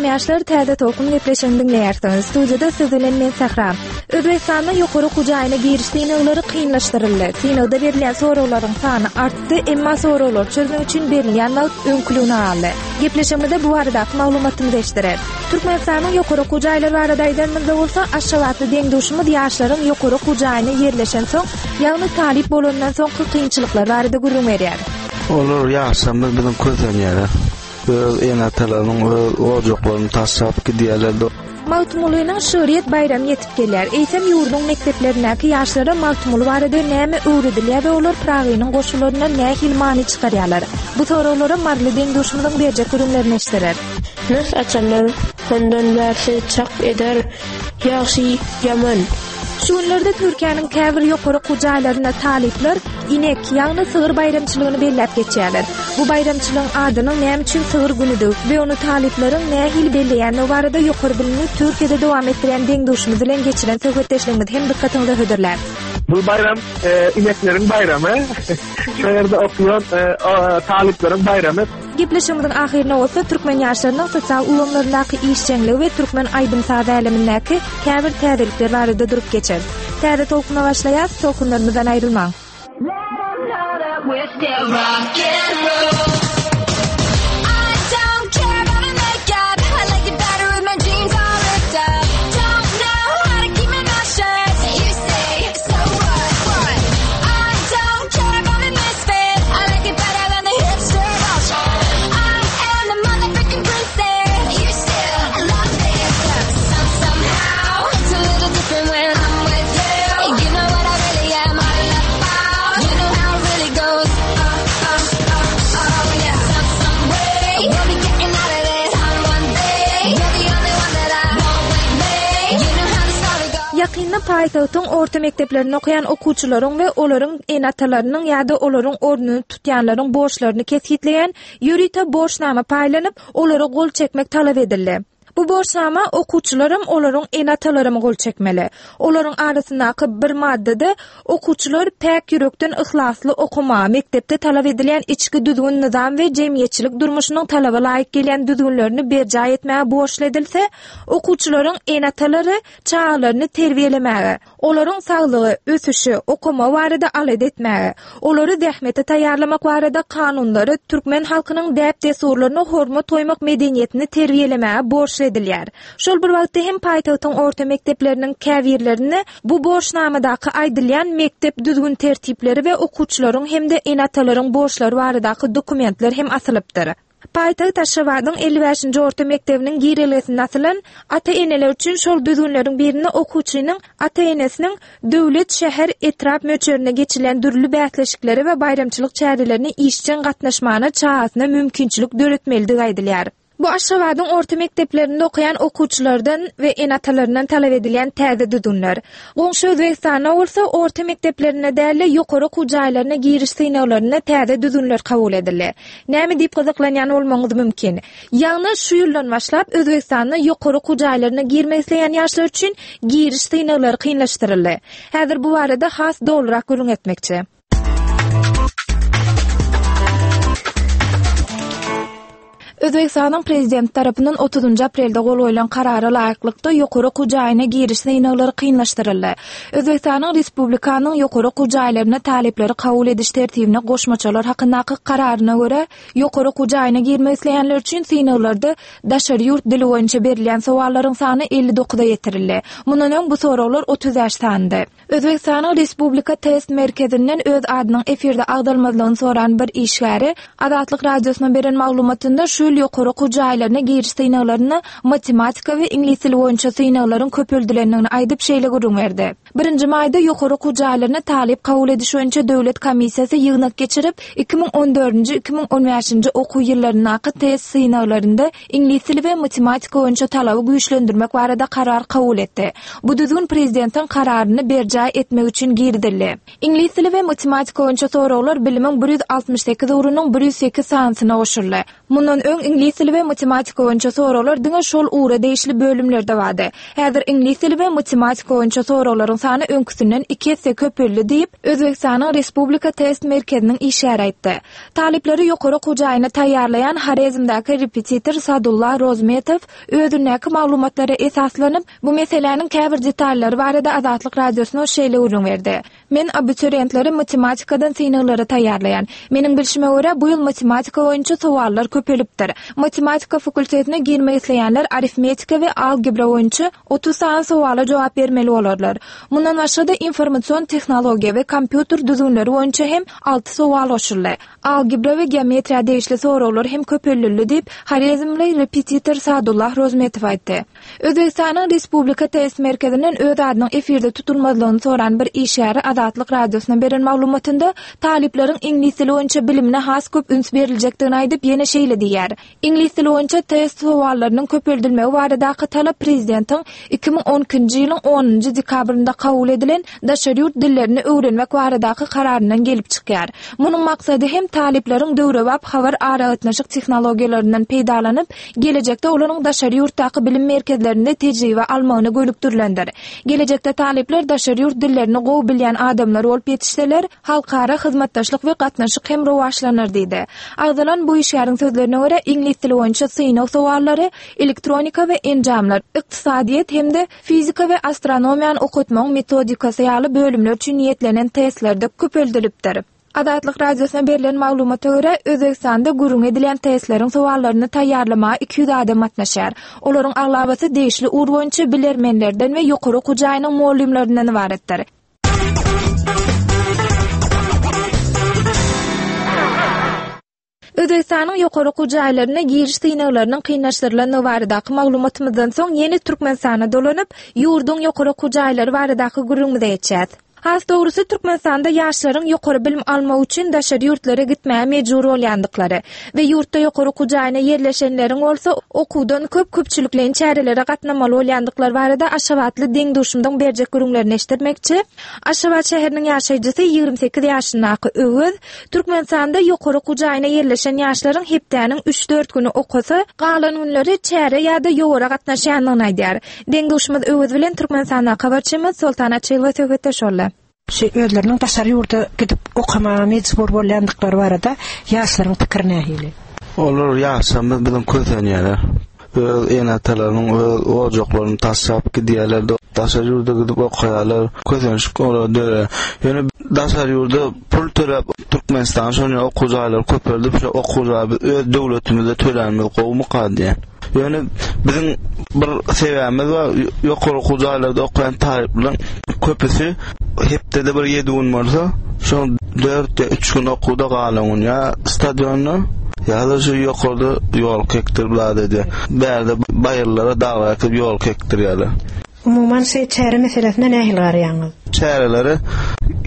Salam ýaşlar, Täze Tolkun gepleşigini diňleýärsiňiz. Studiýada siz bilen men Sähra. Özbegistanda ýokary okuw jaýyna giriş synaglary kynlaşdyryldy. Synagda berilýän soraglaryň sany artdy, emma soraglary çözmek üçin berilýän wagt öňküligine galdy. Gepleşigimizde bu baradaky maglumatymyzy eşdireris. Türkmenistanyň ýokary okuw jaýlary barada aýdanymyzda bolsa, aşgabatly deň-duşumyz ýaşlaryň ýokary okuw jaýyna ýerleşensoň, ýagny talyp bolanyndan soňky kynçylyklar barada gürrüň berýär. Olar ýaşlarymyz biziň kösenýärler. Öz ene-atalarynyň öz ojaklaryny taşlap gidýärler. Magtymgulynyň şygryýet baýramy ýetip gelýär. Eýsem, ýurduň mekdeplerindäki ýaşlara Magtymguly barada näme öwredilýär we olar Pyragynyň goşgularyndan nähili many çykarýarlar? Bu soraglara maryly deň-duşumyzyň berjek gürrüňlerini eşdirer. Nyrh açanlar hondan bärsi çak eder ýagşy ýaman. Şu günlerde Türkiýäniň käbir ýokary okuw jaýlarynda talyplar Inek, ýagny sygyr baýramçylygyny belläp geçýärler. Bu baýramçylygyň adynyň näme üçin sygyr günüdigi we ony talyplaryň nähili belleýändigi barada ýokary bilimini Türkiýede dowam etdirýän deň-duşumyz bilen geçiren söhbetdeşligimizi hem dykgatyňyza hödürläris. Bu baýram inekleriň baýramy. Şu ýerde okaýan talyplaryň baýramy. Gepleşigimiziň ahyrynda bolsa türkmen ýaşlarynyň sosial ulgamlaryndaky işjeňligi we türkmen aýdym-saz älemindäki käbir täzelikler barada durup geçeris. Täze tolkuna başlaýas, tolkunlarymyzdan aýrylmaň! Ýakynda paýtagtyň orta mekdeplerinde okaýan okuwçylaryň we olaryň ene-atalarynyň ýa-da olaryň ornuny tutýanlaryň borçlaryny kesgitleýän ýörite borçnama paýlanyp, olara gol çekmek talap edildi. Bu borçnama okuwçylaram, olaryň ene-atalaram gol çekmeli. Olaryň arasyndaky bir maddada okuwçylar päk ýürekden yhlasly okamaga, mekdepde talap edilýän içki düzgün-nyzam we jemgyýetçilik durmuşynyň talaba laýyk gelýän düzgünlerini berjaý etmäge borçly edilse, okuwçylaryň ene-atalary çagalaryny terbiýelemäge, olaryň saglygy, ösüşi, okamagy barada alada etmäge, olary zähmete taýýarlamak barada kanunlary, türkmen halkynyň däp-dessurlaryna hormat goýmak medeniýetini terbiýelemäge borçly edilýär. Şol bir wagtda hem paýtagtyň orta mekdepleriniň käbirlerinde bu borçnamadaky aýdylýan mekdep düzgün-tertipleri we okuwçylaryň hem-de ene-atalaryň borçlary baradaky dokumentler hem asylypdyr. Paýtagt Aşgabadyň 55-nji orta mekdebiniň girelgesinde asylan ata-eneler üçin şol düzgünleriň birinde okuwçynyň ata-enesiniň döwlet, şäher, etrap möçberinde geçirilýän dürli bäsleşiklere we baýramçylyk çärelerine işjeň gatnaşmagyna çagasyna mümkinçilik döretmelidigi aýdylýar. Bu Aşgabadyň orta mekdeplerinde okaýan okuwçylardan we ene-atalaryndan talap edilýän täze düzgünler. Goňşy Özbegistanda bolsa orta mekdeplerinde däl-de, ýokary okuw jaýlaryna giriş synaglarynda täze düzgünler kabul edildi. Näme diýip gyzyklanýan bolmagyňyz mümkin. Ýagny şu ýyldan başlap Özbegistanda ýokary okuw jaýlaryna girmek isleýän ýaşlar üçin giriş synaglary kynlaşdyryldy. Häzir bu barada has dolurak gürrüň etmekçi. Özbegistanyň Prezidenti tarapyndan otuzynjy aprelde gol goýlan Karara laýyklykda, ýokary okuw jaýyna giriş synaglary kynlaşdyryldy. Özbegistanyň Respublikanyň ýokary okuw jaýlaryna talyplary kabul ediş tertibine goşmaçalar hakyndaky Kararyna görä, ýokary okuw jaýyna girmek isleýänler üçin synaglarda daşary ýurt dili boýunça berilýän sowallaryň sany 59-a ýetirildi. Mundan öň bu soraglar 35 sanydy. Özbegistanyň Respublika test merkezinden öz adynyň efirde agzalmazlygyny soran bir işgäri Azatlyk Radiosyna beren maglumatynda şu ýyl ýokary okuw jaýlaryna giriş synaglarynda matematika we iňlis dili boýunça synaglaryň köpeldilendigini aýdyp şeýle gürrüň berdi. Birinji maýda ýokary okuw jaýlaryna talyp kabul ediş boýunça döwlet komissiýasy ýygnak geçirip, 2014-nji, 2015-nji okuw ýyllaryndaky test synaglarynda iňlis dili we matematika boýunça talaby güýçlendirmek barada karar kabul etdi. Bu düzgün prezidentiň kararyny berjaý etmek üçin girizildi. Iňlis dili we matematika boýunça soraglar bilimiň 168 ugrunyň 108 sanysyna goşuldy. Mundan öň. Öň iňlis dili we matematika boýunça soraglar diňe şol ugra degişli bölümlerde bardy. Häzir iňlis dili we matematika boýunça soraglaryň sany öňküsinden iki esse köpeldi diýip, Özbegistanyň Respublika test merkeziniň işgäri aýtdy. Talyplary ýokary okuw jaýyna taýýarlaýan Horezmdäki repetitor Sadulla Rozmetow özündäki maglumatlara esaslanyp, bu meseläniň käbir detallary barada Azatlyk Radiosyna şeýle gürrüň berdi. Men abiturientleri matematikadan synaglara taýýarlaýan. Meniň bilşime görä, bu ýyl matematika boýunça sowallar köpelipdir. Matematika fakultetine girmek isleýänler arifmetika we algebra boýunça 30 sany sowala jogap bermeli bolarlar. Mundan başga-da informasion tehnologiýa we kompýuter düzgünleri boýunça hem alty sowal goşuldy. Algebra we geometriýa degişli soraglar hem köpeldildi diýip, horezmli repetitor Sadullah Rozmetow aýtdy. Özbegistanyň Respublika test merkezinden öz adynyň efirde tutulmazlygyny soran bir işgäri Azatlyk Radiosyna beren maglumatynda talyplaryň iňlis dili boýunça bilimine has köp üns beriljekdigini aýdyp, ýene şeýle diýýär, Iňlis dili boýunça test sowallarynyň köpeldilmegi baradaky talap prezidentiň 2012-nji ýylyň onunjy dekabrynda kabul edilen daşary ýurt dillerini öwrenmek baradaky kararyndan gelip çykýar. Munuň maksady hem talyplaryň döwrebap habar-aragatnaşyk tehnologiýalaryndan peýdalanyp, gelejekde olaryň daşary ýurtdaky bilim merkezlerinde tejribe almagyna gönükdirilendir. Gelejekde talyplar daşary ýurt dillerini gowy bilýän adamlar bolup ýetişseler, halkara hyzmatdaşlyk we gatnaşyk hem rowaçlanar diýdi. Agzalan bu işgäriň sözlerine görä, iňlis dili boýunça synag sowallary, elektronika we enjamlar, ykdysadyýet hem-de fizika we astronomiýany okatmagyň metodikasy ýaly bölümler üçin niýetlenen testlerde köpeldilipdir. Azatlyk Radiosyna berlen maglumata görä, Özbegistanda gürrüňi edilýän testleriň sowallaryny taýýarlamaga 200 adam gatnaşýar. Olaryň aglabasy degişli ugur boýunça bilermenlerden we ýokary okuw jaýynyň mugallymlaryndan ybaratdyr. Özbegistanyň ýokary okuw jaýlaryna giriş synaglarynyň kynlaşdyrylandygy baradaky maglumatymyzdan soň ýene Türkmenistana dolanyp, ýurduň ýokary okuw jaýlary baradaky gürrüňimize geçýäs. Has dogrusy, Türkmenistanda ýaşlaryň ýokary bilim almak üçin daşary ýurtlara gitmäge mejbur bolýandyklary we ýurtda ýokary okuw jaýyna ýerleşenleriň bolsa okuwdan köp köpçülikleýin çärelere gatnamaly bolýandyklary barada aşgabatly deň-duşumyzyň berjek gürrüňlerini eşitdirmekçi. Aşgabat şäheriniň ýaşaýjysy, 28 ýaşyndaky Öwez, Türkmenistanda ýokary okuw jaýyna ýerleşen ýaşlaryň hepdäniň üç-dört güni okasa, galan günleri çärä ýa-da ýowara gatnaşýandygyny aýdýar. Deň-duşumyz Öwez bilen Türkmenistandaky habarçymyz Soltan Açylowa söhbetdeş boldy. Şu özleriniň daşary ýurda gidip okamaga mejbur bolýandyklary barada ýaşlaryň pikiri nähili? Olar ýaşlarymyz biziň kösenýärler. Öz ene-atalarynyň öz ojaklaryny taşlap gidýärler, daşary ýurda gidip okaýarlar. Kösenişik olara döreýär. Ýöne daşary ýurda pul töläp Türkmenistanyň şonýa okuw jaýlary köpeldip, şo okuw jaýy biz öz döwletimizde tölänimiz gowumyka diýýän. Ýöne biziň bir sebäbimiz bar, ýokary okuw jaýlarda okaýan talyplaryň köpüsi hepdede bir ýedi gün bolsa, şoň dört ýa üç gün okuwda galan gün ýa stadionda ýa-da şu ýokarda ýolka ekdirip zat edýär. Bärde baýyrlara, daglara ekip ýolka ekdirýärler. Umuman şu çäre meselesine nähili garaýaňyz? Çärelere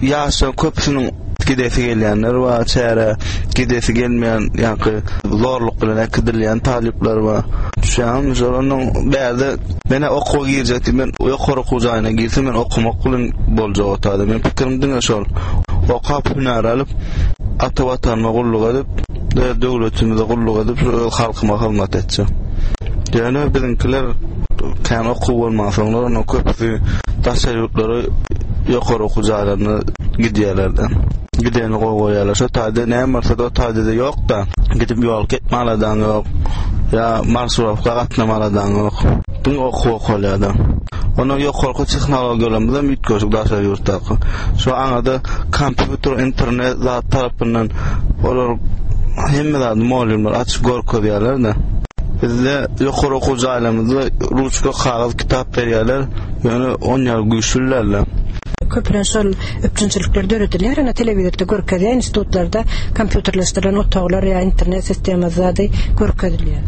ýaşlaryň köpüsiniň gidesi gelýänler bar, çärä gidesi gelmeýän, ýaňky zorluk bilen äkidilýän talyplar bar. Düşýäňizmi? Şol onuň bärde men-ä okuwa girjek diýip, men ýokary okuw jaýyna girsem, men okamak bilen boljak o taýda. Meniň pikirim diňe şol. Okap hünär alyp, ata Watanyma gulluk edip, öz döwletimize gulluk edip, öz halkyma hyzmat etjek. Ýöne biziňkiler kän okuw bolmansoňlar, onuň köpüsi daşary ýurtlara ýokary okuw jaýlaryna gidýärler-de. Gideni gowy görýärler. Şo taýda näme bolsa-da o taýda-da ýok-da. Gidip ýol ketme aladaň ýok. Ýa marşirowka gatnama aladaň ýok. Diňe okuw okalýar-da. Ondan ýokarky tehnologiýalarymyz hem üýtgeşik daşary ýurtdaky. Şo aňyrda kompýuter, internet zat tarapyndan olar hemme zady mugallymlar açyp görkezýärler-de. Bizde ýokary okuw jaýlarymyzda ruçka, kagyz, kitap berýärler, ýöne on ýaly güýçli däldi. Köplenç şol üpjünçilikler döredilýär, ine telewizorda görkezýär, institutlarda kompýuterleşdirilen otaglar ýa internet sistemasy zady görkezilýär.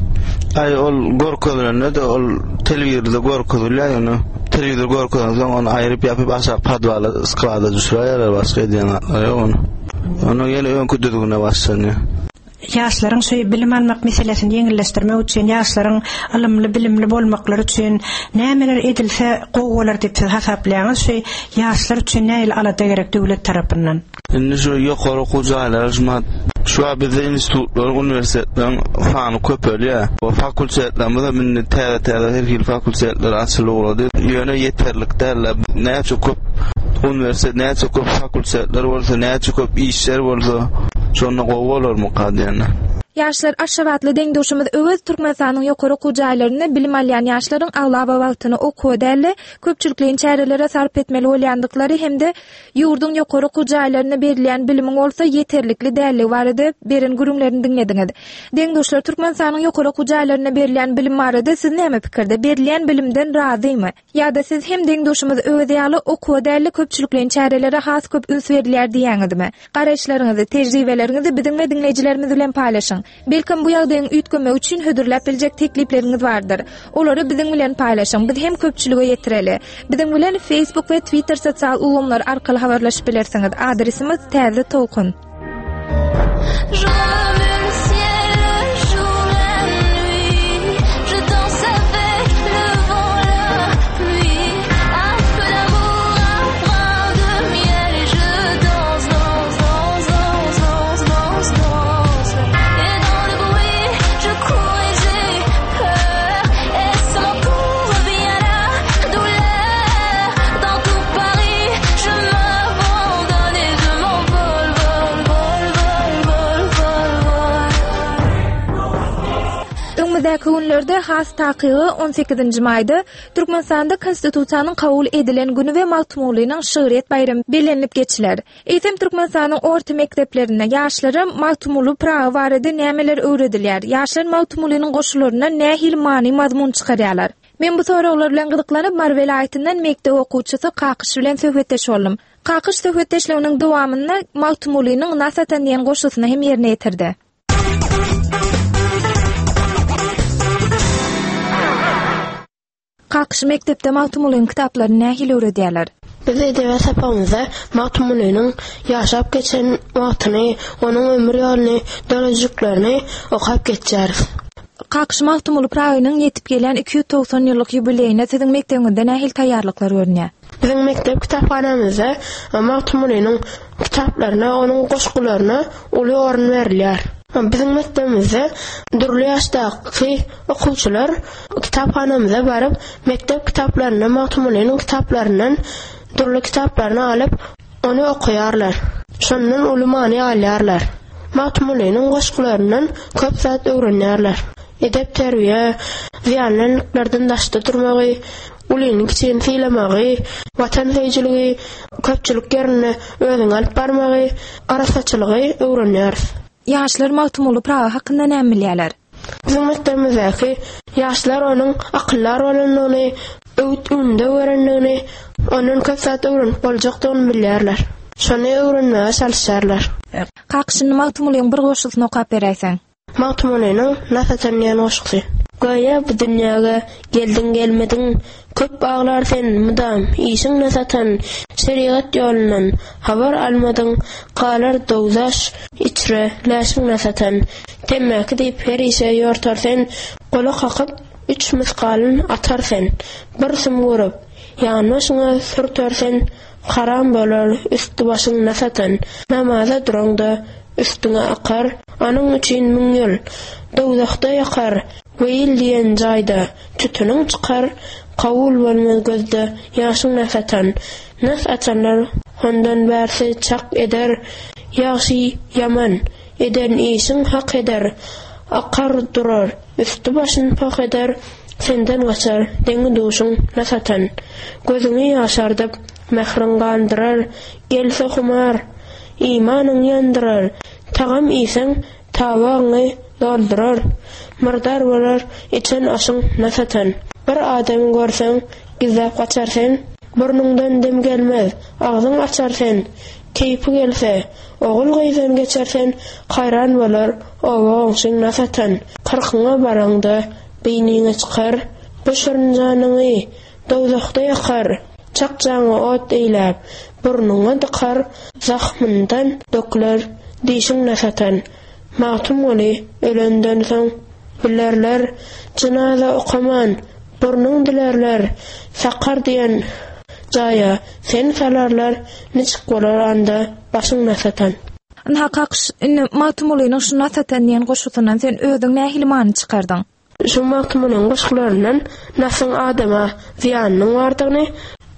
Aý ol görkezilende-de ol telewizorda görkezilýär, ýöne telewizor görkezensoň ony aýryp ýapyp aşak podwala, sklada düşüräýerler, başga edýän zatlary ýok ony. Ondan ýene öňki düzgüne başlanýar. Ýaşlaryň şu bilim almak meselesini ýeňilleşdirmek üçin, ýaşlaryň ylymly-bilimli bolmaklary üçin nämeler edilse gowy bolar diýip siz hasaplaýaňyz? Şu ýaşlar üçin nähili alada gerek döwlet tarapyndan? Indi şu ýokary okuw jaýlary şumat şu wagt bizde institutlaryň, uniwersitetleriň sany köpelýär. Fakultetlerimiz hem indi täze-täze her hili fakultetler açylyp ugrady. Ýöne ýeterlik däl-de. Näçe köp uniwersitet, näçe köp fakultetler bolsa, näçe köp işler bolsa, şonda gowy bolarmyka diýen. Ýaşlar Aşgabatly deň-duşumyz Öwez Türkmenistanyň ýokary okuw jaýlarynda bilim alýan ýaşlaryň aglaba wagtyny okuwa däl-de, köpçülikleýin çärelere sarp etmeli bolýandyklary hem-de ýurduň ýokary okuw jaýlarynda berilýän bilimiň bolsa ýeterlikli dälligi barada beren gürrüňlerini diňlediňiz. Deň-duşlar Türkmenistanyň ýokary okuw jaýlarynda berilýän bilim barada siz näme pikirde? Berilýän bilimden razymy? Ýa-da siz hem deň-duşumyz Öwez ýaly okuwa däl-de köpçülikleýin çärelere has köp üns berilýär diýýäňizmi? Garaýyşlaryňyzy, tejribeleriňizi biziň we diňleýjilerimiz bilen paýlaşyň. Belkem bu ýagdaýyň üýtgemegi üçin hödürläp biljek teklipleriňiz bardyr. Olary biziň bilen paýlaşyň, biz hem köpçülige ýetireli. Biziň bilen Facebook we Twitter sosial ulgamlary arkaly habarlaşyp bilersiňiz. Adresimiz Täze Tolkun. Öňümizdäki günlerde, has takygy 18-nji maýda Türkmenistanda Konstitusiýanyň kabul edilen güni we Magtymgulynyň şygryýet baýramy bellenilip geçiler. Eýsem, Türkmenistanyň orta mekdeplerinde ýaşlara Magtymguly Pyragy barada nämeler öwredilýär? Ýaşlar Magtymgulynyň goşgularyndan nähili many-mazmun çykarýarlar? Men bu soraglar bilen gyzyklanyp, Mary welaýatyndan mekdep okuwçysy Kakyş bilen söhbetdeş boldum. Kakyş söhbetdeşliginiň dowamynda Magtymgulynyň Nas atan diýen goşgusyny hem ýerine ýetirdi. Kakyş mekdepde Magtymgulynyň kitaplaryny nähili öwredýärler? Biz edebiýat sapagymyzda Magtymgulynyň ýaşap geçen wagtyny, onuň ömür ýoluny, döredijiliklerini okap geçýäris. Kakyş Magtymguly Pyragynyň ýetip gelýän 290 ýyllyk ýubileýine siziň mekdebiňizde nähili taýýarlyklar görünýär? Biziň mekdep kitaphanamyzda Magtymgulynyň kitaplaryna, onuň goşgularyna uly orun berilýär. Biziň mekdebimizde dürli ýaşdaky okuwçylar kitaphanamyza baryp, mekdep kitaplaryndan, Magtymgulynyň kitaplaryndan dürli kitaplaryny alyp, ony okaýarlar. Şondan uly many alýarlar. Magtymgulynyň goşgularyndan köp zat öwrenýärler. Edep-terbiýe, zyýanly endiklerden daşda durmagy, ulyny-kiçini sylamagy, watansöýüjiligi, köpçülik ýerinde özüňi alyp barmagy, arassaçylygy öwrenýäris. Ýaşlar Magtymguly Pyragy hakynda näme bilýärler? Biziň mekdebimizdäki ýaşlar onuň akyldar bolandygyny, öwüt-ündew berendigini, ondan köp zat öwrenip boljakdygyny bilýärler. Şony öwrenmäge çalyşýarlar. Kaka, şindi Magtymgulyň bir goşgusyny okap beräýseň. Magtymgulynyň Nas atan diýen goşgusy. Göýä bu dünýäge geldiň-gelmediň, Köp aglar sen, mydam, işiň nas atan, Şerigat ýolundan habar almadyň, Galar dowzaş içre läşiň nas atan. Temmäki diýip her işe ýortar sen, Gola kakyp, üç mysgalyn atar sen. Bir sum görüp, ýanbaşyňa sürter sen, Haram bolar üsti-başyň nas atan. Namaza duraňda üstüňe akar, Anyň üçin müň ýyl dowzahda ýakar, Weýil diýen jaýda tütüniň çykar, Kabul bolmaz gözde ýaşyň nas atan. Nas atanlar hondan bärsi çak eder, Ýagşy, ýaman, eden işiň hak eder, Akar durar, üsti-başyn poh eder, Senden gaçar deňi-duşuň nas atan. Gözüňi ýaşardyp, mähriň gandyrar, Gelse humar, Imanyň ýandyrar, Tagam iýseň, tabagyňy doldurar, Myrdar bolar içen aşyň nas atan. Bir adamy görseň, gizläp gaçar sen, Burnuňdan dem gelmez, agzyň açar sen, Keýpi gelse, ogul-gyzdan geçer sen, Haýran bolar oba-goňşyň nas atan. Kyrkyňa baraňda, beýniňe çykar, Bu şirin janyňy Dowzahda ýakar, çakjaňy ot eýläp, burnuňa dykar, zahmyndan döküler dişiň nas atan. Magtymguly ölenden soň bilerler, Jynaza okaman, burnuň dilerler, Sakar diýen jaýa seni salarlar, Niçik bolar anda başyň nas atan. Ynha, Kakyş, indi Magtymgulynyň şu Nas atan diýen goşgusyndan sen özüň nähili many çykardyň? Şu Magtymgulynyň goşgularyndan nasyň adama zyýanynyň bardygyny,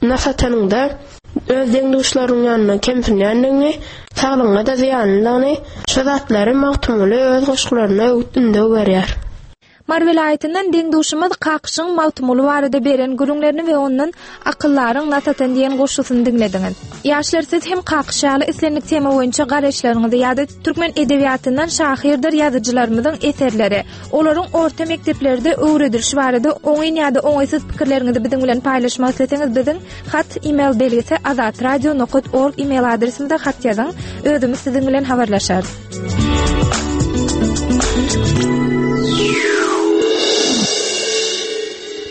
nas atanyňda öz deň-duşlarynyň ýanynda kemsinýändigiňi, saglygyňa-da zyýanlydygyny, şu zatlary Magtymguly öz goşgularynda öwüt-ündew berýär. Mary welaýatyndan deň-duşumyz Kakyşyň Magtymguly barada beren gürrüňlerini we ondan Akyldaryň nas atan diýen goşgusyny diňlediňiz. Ýaşlar siz hem Kakyş ýaly islendik tema boýunça garaýyşlaryňyzy ýa-da türkmen edebiýatyndan şahyrdyr ýazyjylarymyzyň eserleri, olaryň orta mekdeplerde öwredilişi barada oňyn ýa-da oňaýsyz pikirleriňizi biziň bilen paýlaşmak isleseňiz biziň hat email belgisi azatradio nokat org email adresimize hat ýazyň. Özümiz siziň bilen habarlaşarys.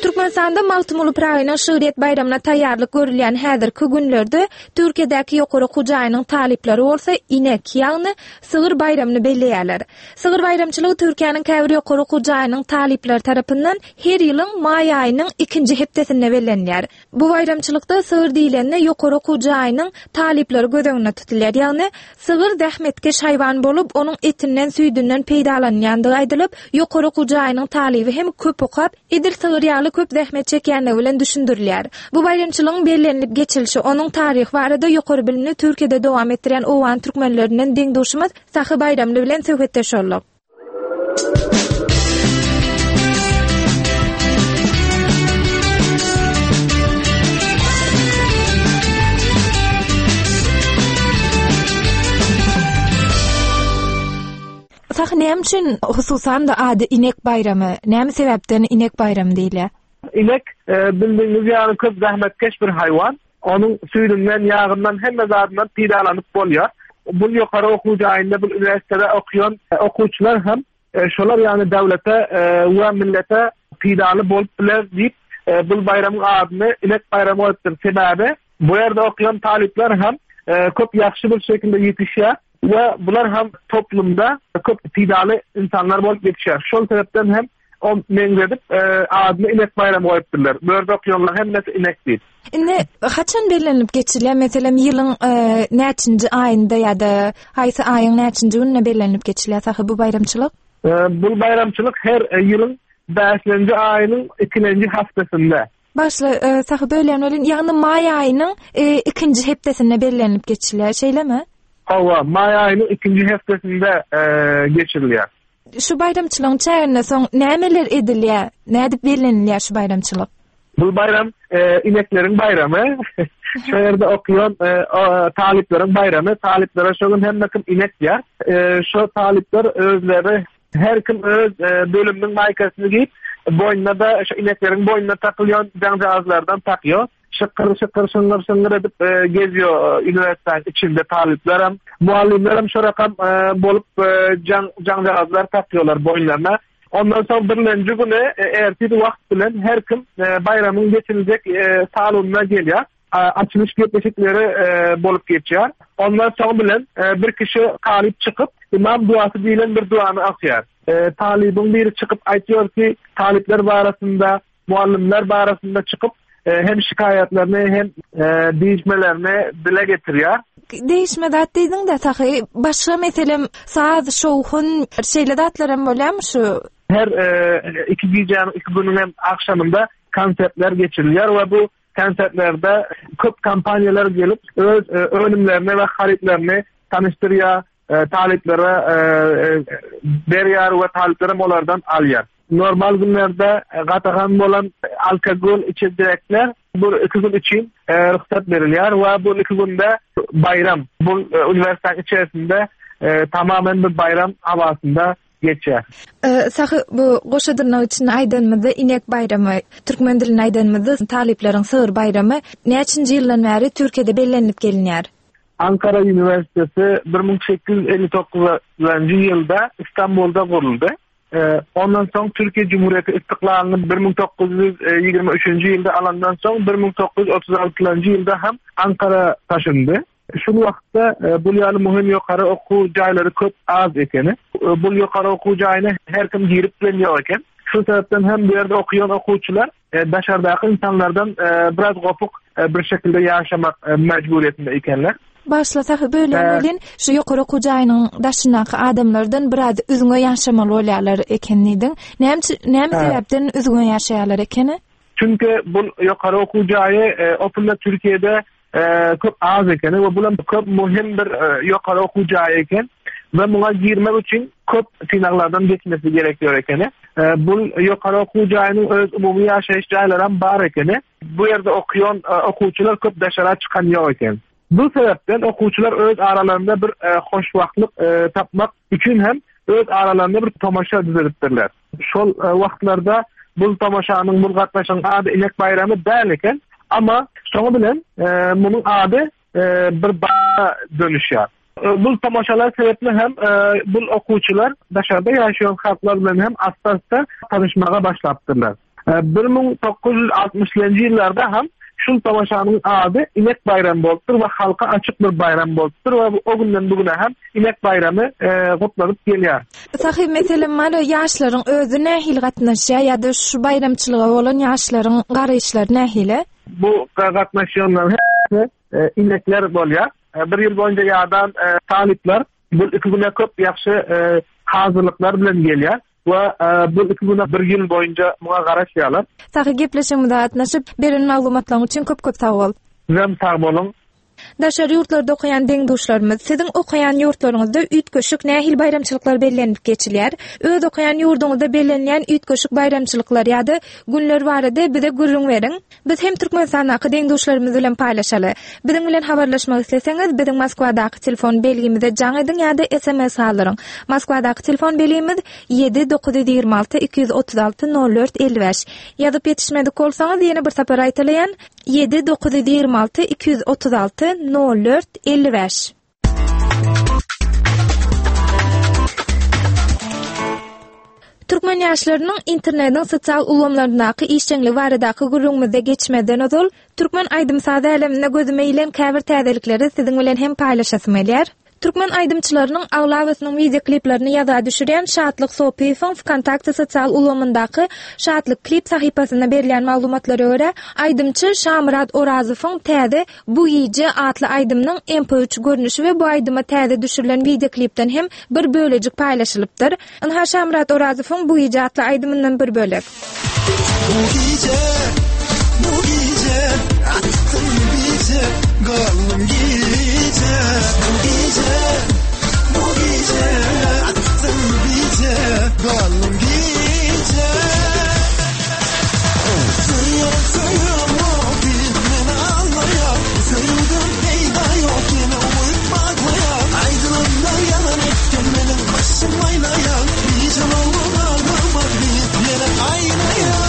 Türkmenistanda Magtymguly Pyragynyň şygryýet baýramyna taýýarlyk görülýän häzirki günlerde Türkiýedäki ýokary okuw jaýynyň talyplary bolsa inek, ýagny sygyr baýramyny belleýärler. Sygyr baýramçylygy Türkiýäniň käbir ýokary okuw jaýynyň talyplary tarapyndan her ýylyň maý aýynyň ikinji hepdesinde bellenilýär. Bu baýramçylykda sygyr diýlende ýokary okuw jaýynyň talyplary göz öňünde tutulýar. Ýagny, sygyr zähmetkeş haýwan bolup, onuň etinden, süýdünden peýdalanylýandygy aýdylyp, ýokary okuw jaýynyň talyby hem köp okap, edil sygyr ýaly köp zähmet çekýänligi bilen düşündirilýär. Bu baýramçylygyň bellenilip geçilişi, onuň taryhy barada ýokary bilimini Türkiýede dowam etdirýän owgan türkmenlerinden deň-duşumyz Sahy Baýramly bilen söhbetdeş bolduk. Sahy näme üçin hususan-da ady inek baýramy? Näme sebäpden inek baýramy diýilýär? Inek e, bildigiňiz ýaly köp zähmetkeş bir haýwan. Onuň süýdünden, ýagyndan, hemme zadyndan peýdalanyp bolýar. Bu ýokary okuw jaýynda, bu uniwersitetde okaýan okuwçylar hem e, şolar ýaly döwlete e, we millete peýdaly bolup biler diýip, e, bu baýramyň adyny Inek baýramy goýupdyr. Sebäbi bu ýerde okaýan talyplar hem köp ýagşy bir şekilde ýetişýär we bular hem toplumda köp peýdaly insanlar bolup ýetişýär. Şol sebäpden hem Ol meňzedip, adyny Inek baýramy goýupdyrlar. Bu ýerde okýanlaryň hemmesi inek diýip. Indi haçan bellenilip geçilýär? Meselem, ýylyň näçinji aýynda ýa-da haýsy aýyň näçinji gününde bellenilip geçilýär sahy bu baýramçylyk? Bu baýramçylyk her ýylyň bäşlenji aýynyň ikilenji hepdesinde. Başla, sahy bölýän welin, ýagny maý aýynyň ikinji hepdesinde bellenilip geçilýär, şeýlemi? Hawa, maý aýynyň ikinji hepdesinde geçirilýär. Şu baýramçylygyň çäginde soň nämeler edilýär? Nädip bellenilýär şu baýramçylyk? Bu baýram e, inekleriň baýramy. Şu ýerde okaýan e, talyplaryň baýramy. Talyplara şu gün hemme kim inek diýär. E, şu talyplar özleri her kim öz e, bölüminiň maýkasyny geýip, boýnuna da şu inekleriň boýnuna takylýan jaňjagazlardan takýar. Şykyr şykyr şyňňyr şyňňyr edip gezýär uniwersitetniň içinde talyplaram. Mugallymlaram şo rakam bolup jaň jaňjagazlar takýarlar boýunlaryna. Ondan soň birlenji güni ertir wagt bilen her kim baýramyň geçiriljek salonyna gelýär. Açylyş gepleşikleri bolup geçýär. Ondan soň bilen bir kişi talyp çykyp, Imam duasy diýlen bir duany okýar. Talybyň biri çykyp aýtýar ki, talyplar barasynda mugallymlar barasynda çykyp, hem şikaýatlaryny, hem degişmelerini dile getirýär. Degişme zat diýdiň-de, Sahy, başga meselem, saz, şowhun, şeýle zatlar hem bolýarmy şu? Her iki gijäniň, iki günüň hem agşamynda konsertler geçirilýär we bu konsertlerde köp kompaniýalar gelip, öz önümlerini we harytlaryny tanyşdyrýar, talyplara berýär we talyplar hem olardan alýar. Normal günlerde gadagan bolan alkogol içecekler bu iki gün üçin rugsat berilýär we bu iki günde baýram, bu uniwersitet içerisinde tamamen bir baýram hawasynda geçýär. Sahy bu goşa dyrnak içinde aýdanymyzda inek baýramy, türkmen dilinde aýdanymyzda talyplaryň sygyr baýramy näçinji ýyldan bäri Türkiýede bellenilip gelinýär? Ankara uniwersiteti 1859-njy ýylda Istanbulda guruldy. Ondan soň Türkiýe Cumhuriyeti istiklalyny 1923-nji ýylda alandan soň 1936-njy ýylda hem Ankara taşyndy. Şol wagtda bul ýaly muhim ýokary okuw jaýlary köp az ekeni. Bul ýokary okuw jaýyna her kim girip bilen ýok eken. Şol sebäpden hem bu ýerde okaýan okuwçylar daşardaky ynsanlardan biraz gopuk bir şekilde ýaşamak mejburyýetinde ekenler. Bagyşla Sahy bölýän welin, şu ýokary okuw jaýynyň daşyndaky adamlardan biraz üzňe ýaşamaly bolýarlar eken diýdiň. Näme näme sebäpden üzňe ýaşaýarlar ekeni? Çünki bu ýokary okuw jaýy opunda Türkiýede köp az ekeni we bulam köp möhüm bir ýokary okuw jaýy eken we muňa girmek üçin köp synaglardan geçmesi gerekiyor ekeni. Bu ýokary okuw jaýynyň öz umumy ýaşaýyş jaýlaram bar ekeni. Bu ýerde okuýan okuwçylar köp daşara çykan ýok eken. Bu sebäpden okuwçylar öz aralarynda bir hoşwagtlyk tapmak üçin hem öz aralarynda bir tomaşa düzedipdirler. Şol wagtlarda bul tomaşanyň, bul gatnaşygyň ady Inek baýramy däl eken. Amma soňy bilen munuň ady bir baýrama dönüşýär. Bul tomaşalar sebäpli hem bul okuwçylar daşarda ýaşaýan halklar bilen hem asta-asta tanyşmaga başlapdyrlar. 1960-njy ýyllarda hem şul tomaşanyň ady Inek baýramy bolupdyr we halka açyk bir baýram bolupdyr we o günden bu güne hem Inek baýramy gutlanyp gelýär. Sahy meselem bar, ýaşlaryň özi nähili gatnaşýar ýa-da şu baýramçylyga bolan ýaşlaryň garaýyşlary nähili? Bu gatnaşýanlaryň hemmesi inekler bolýar. Bir ýyl boýunça ýadan talyplar bu iki güne köp ýagşy hazyrlyklar bilen gelýär. We bu iki güne bir ýyl boýunça muňa garaşýarlar. Sahy gepleşigimize gatnaşyp, beren maglumatlaryň üçin köp köp sag bol. Sizem sag boluň. Daşary ýurtlarda okaýan deň-duşlarymyz, siziň okaýan ýurtlaryňyzda üýtgeşik nähili baýramçylyklar bellenilip geçilýär? Öz okaýan ýurduňyzda bellenilýän üýtgeşik baýramçylyklar ýa-da günler barada bize gürrüň beriň. Biz hem Türkmenistandaky deň-duşlarymyz bilen paýlaşaly. Biziň bilen habarlaşmak isleseňiz, biziň Moskwadaky telefon belgimize jaň ediň ýa-da sms galdyryň. Moskwadaky telefon belgimiz, ýedi 926 236 04 55. Ýazyp ýetişmedik bolsaňyz, ýene bir sapar gaýtalaýan, ýedi 926 236 04 55. Türkmen ýaşlarynyň internetiň sosial ulgamlaryndaky işjeňligi baradaky gürrüňimize geçmezden ozal, türkmen aýdym-saz äleminde gözüme ilen käbir täzelikleri siziň bilen hem paýlaşasym gelýär. Türkmen aýdymçylarynyň aglabasynyň wideokliplerini ýazga düşürýän Şatlyk Sopyýewiň Wkontakte sosial ulgamyndaky Şatlyk klip sahypasynda berilýän maglumatlara görä, aýdymçy Şamyrat Orazowyň täze Bu gije atly aýdymynyň MP üç görnüşi we bu aýdyma täze düşürilen wideoklipden hem bir bölejik paýlaşylypdyr. Ynha Şamyrat Orazowyň Bu gije atly aýdymyndan bir bölek. Bu gije, bu gije, atdym bije, galdym gije. Bu gije, bu gije, atdym bije, galdym gije. Söýýän söýemok diýip meni aldaýar, Söýgüden peýda ýok ýene umyt baglaýar. Aýdylanda ýalan etgen meniň başym aýlaýar, Gije bolan aglamak diýip ýene aýlaýar.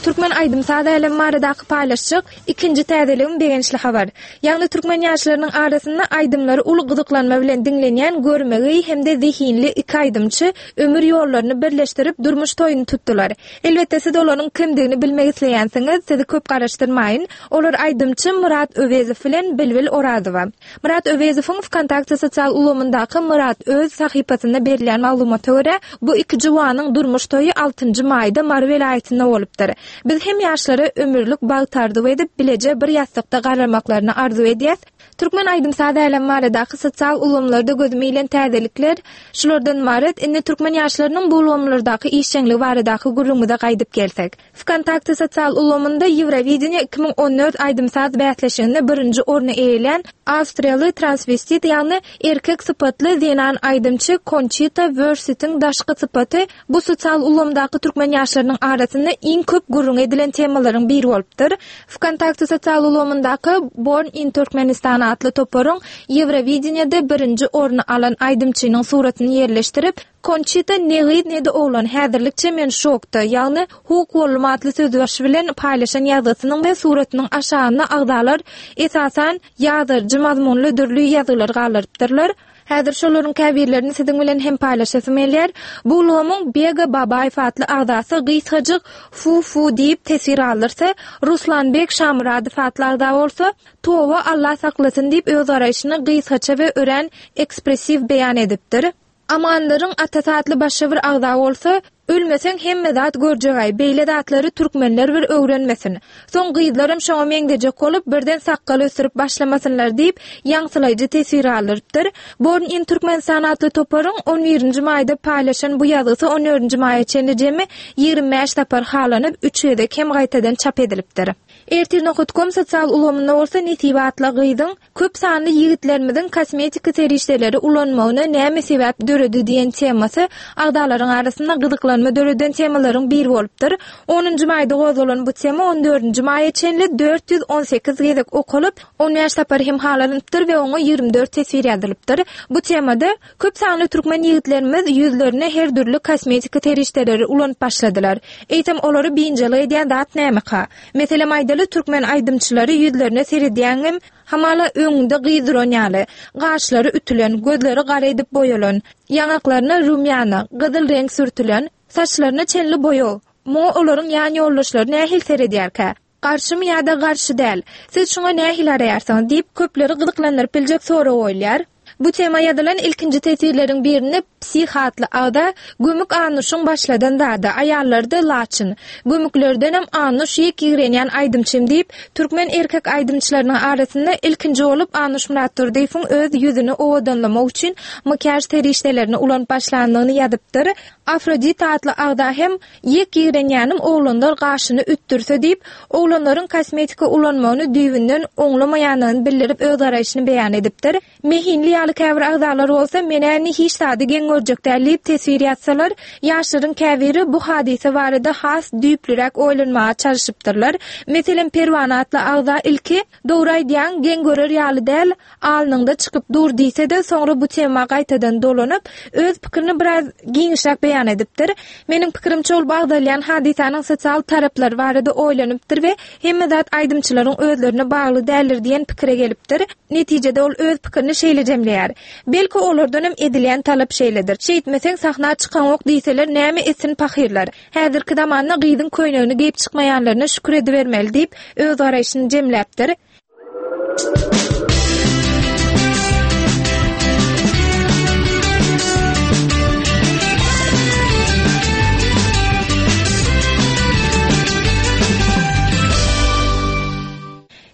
Türkmen aýdym-saz älemi baradaky paýlaşjak ikinji täzeligim begençli habar. Ýagny türkmen ýaşlarynyň arasynda aýdymlary uly gyzyklanma bilen diňlenýän görmegeý hem-de zehinli iki aýdymçy ömür ýollaryny birleşdirip durmuş toýuny tutdular. Elbetde siz olaryň kimdigini bilmek isleýänsiňiz, sizi köp garaşdyrmaýyn. Olar aýdymçy Myrat Öwezow bilen Bilbil Orazowa. Myrat Öwezowyň Wkontakte sosial ulgamyndaky Myrat Öz sahypasynda berilýän maglumata görä, bu iki juwanyň durmuş toýy altynjy maýda Mary welaýatynda bolupdyr. Biz hem ýaşlara ömürlik bagt arzuw edip, bileje bir ýassykda garramaklaryny arzuw edýäs. Türkmen aýdym-saz älemi baradaky sosial ulgamlarda gözüme ilen täzelikler şulardan ybarat. Indi türkmen ýaşlarynyň bu ulgamlardaky işjeňligi baradaky gürrüňimize gaýdyp gelsek. Wkontakte sosial ulgamynda Ýewrowideniýe 2014 aýdym-saz bäsleşiginde birinji orny eýelän awstriýaly transwestit, ýagny erkek sypatly zenan aýdymçy Konçita Wörsitiň daşky sypaty Bu sosial ulgamdaky türkmen ýaşlarynyň arasynda iň köp gürrüňi edilen temalaryň biri bolupdyr. Wkontakte sosial ulgamyndaky Born in Turkmenistan atly toparyň Ýewrowideniýede birinji orny alan aýdymçynyň suratyny ýerleşdirip, Konçita ne gyz ne-de oglan häzirlikçe men şokda, ýagny huk boldum atly sözbaşy bilen paýlaşan ýazgysynyň we suratynyň aşagynda agzalar esasan ýazyjy mazmunly dürli ýazgylar galdyrypdyrlar. Häzir şolaryň käbirlerini siziň bilen hem paýlaşasym gelýär. Bu ulgamyň Bega Babaýew atly agzasy gysgajyk Fu-fu diýip teswir galdyrsa, Ruslanbek Şamyradow atly agza bolsa, Toba Alla saklasyn diýip öz garaýşyny gysgaça we örän ekspressiw beýan edipdir. Amanlaryň atasy atly başga bir agza bolsa, Ölmeseň hemme zat görjegaý, beýle zatlary türkmenler bir öwrenmesin. Soň gyzlaram şoňa meňzejek bolup, birden sakgal ösdürip başlamasynlar diýip, ýaňsylaýjy teswir galdyrypdyr. Born in Turkmenistan atly toparyň on birinji maýda paýlaşan bu ýazgysy on dördünji maýa çenli jemi 25 sapar halanyp, üç gezek hem gaýtadan çap edilipdir. Ertir nokat kom sosial ulgamynda bolsa Nesibe atly gyzyň Köp sanly ýigitlerimiziň kosmetika serişdeleri ulanmagyna näme sebäp döredi diýen temasy agzalaryň arasynda gyzyklanma döreden temalaryň biri bolupdyr. Onunjy maýda gozgalan bu tema on dördünji maýa çenli 418 gezek okalyp, on bäş sapar hem halanypdyr we oňa 24 teswir ýazylypdyr. Bu temada Köp sanly türkmen ýigitlerimiz ýüzlerine her dürli kosmetika serişdeleri ulanyp başladylar. Eýsem olary biynjalyk edýän zat nämeka? Meselem aýdaly türkmen aýdymçylary ýüzlerine seredýäňem hamala öňüňde gyz duran ýaly. Gaşlary ütülen, gözleri gara edip boýalan, ýaňaklaryna rumýana, gyzyl reňk sürtülen, saçlaryna çenli boýag. Muňa olaryň ýan ýoldaşlary nähili seredýärkä? Garşymy ýa-da garşy däl? Siz şuňa nähili garaýarsyňyz? diýip, köpleri gyzyklandyryp biljek sorag goýulýar. Bu tema ýazylan ilkinji teswirleriň birinde Psih atly agza, Gömük Annuşyň başladan zady, aýallarda Laçyn. Gömüklerdenem Annuş ýek ýigrenýän aýdymçym diýip, türkmen erkek aýdymçylarynyň arasynda ilkinji bolup Annuş Myratdurdyýewiň öz ýüzüni owadanlamak üçin makiýaž serişdelerini ulanyp başlandygyny ýazypdyr. Afrodita atly agza hem Ýek ýigrenýänim oglanlar gaşyny ütdürse diýip, oglanlaryň kosmetika ulanmagyny düýbünden oňlamaýanyny bildirip öz garaýşyny beýan edipdir. Mehinli ýaly käbir agzalar bolsa men-ä indi hiç zady geň görjek däl diýip teswir ýazsalar, ýaşlaryň käbiri bu hadysa barada has düýplüräk oýlanmaga çalşypdyrlar. Meselem Perwana atly agza ilki, Dogry aýdýaň, geň görer ýaly däl, alnyňda çykyp dur diýse-de, soňra bu tema gaýtadan dolanyp, öz pikirini biraz giňişräk beýan edipdir. Meniň pikirimçe ol bu agzalýan hadysanyň sosial taraplary barada oýlanypdyr we hemme zat aýdymçylaryň özlerine bagly däldir diýen pikire gelipdir. Netijede ol öz pikirini şeýle jemleýär, Belki olardanam edilýän talap şeýledir. Şeýtmeseň sahna çykaňok diýseler näme etsin pahyrlar. Häzirki zamanda gyzyň köýnegini geýip çykmaýanlaryna şükür edibermeli diýip, öz garaýşyny jemläpdir.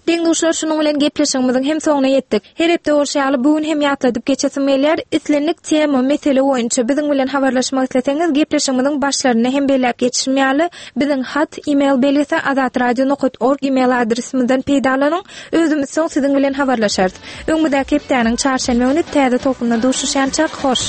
Deň-duşlar şunuň bilen gepleşigimiziň hem soňuna ýetdik. Her hepde bolşy ýaly bu gün hem ýatladyp geçesim gelýär, islendik tema, mesele boýunça biziň bilen habarlaşmak isleseňiz gepleşigimiziň başlarynda hem belläp geçişim ýaly biziň hat, email belgisi azatradio nokat org email adresimizden peýdalanyň, özümiz soň siziň bilen habarlaşarys. Öňümizdäki hepdäniň çarşenbe güni täze tolkunda duşuşýançak hoş!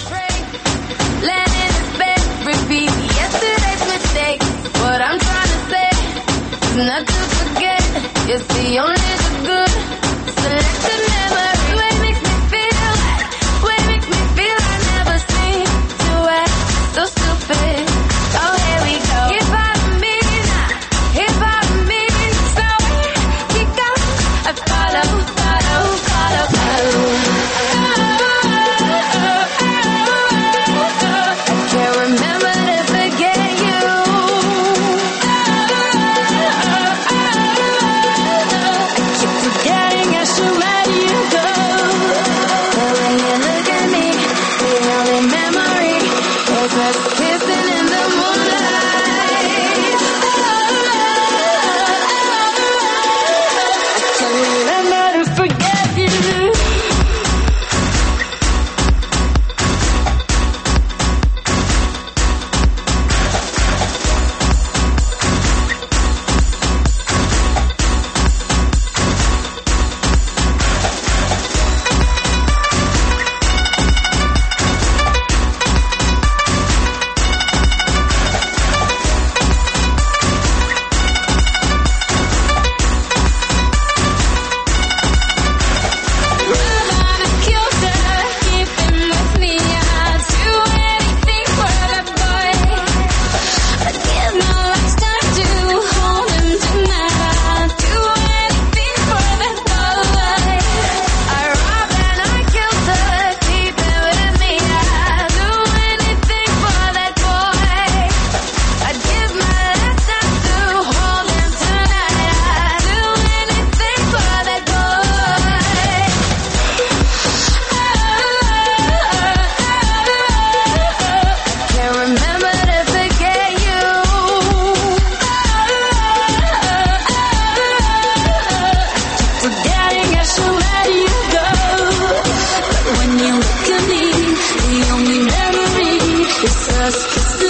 Just.